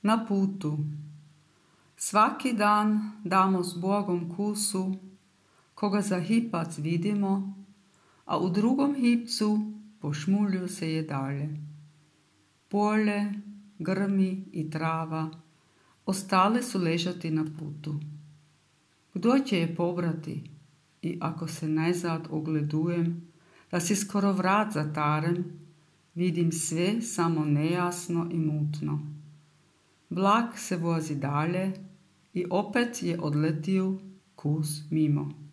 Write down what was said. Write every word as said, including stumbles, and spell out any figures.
Na putu. Svaki dan damo s Bogom kusu, koga za hipac vidimo, a u drugom hipcu pošmulju se je dalje. Polje, grmi i trava ostale su ležati na putu. Kdo će je pobrati? I ako se nezad ogledujem, da si skoro vrat zatarem, vidim sve samo nejasno i mutno. Vlak se vozi dalje i opet je odletio kus mimo.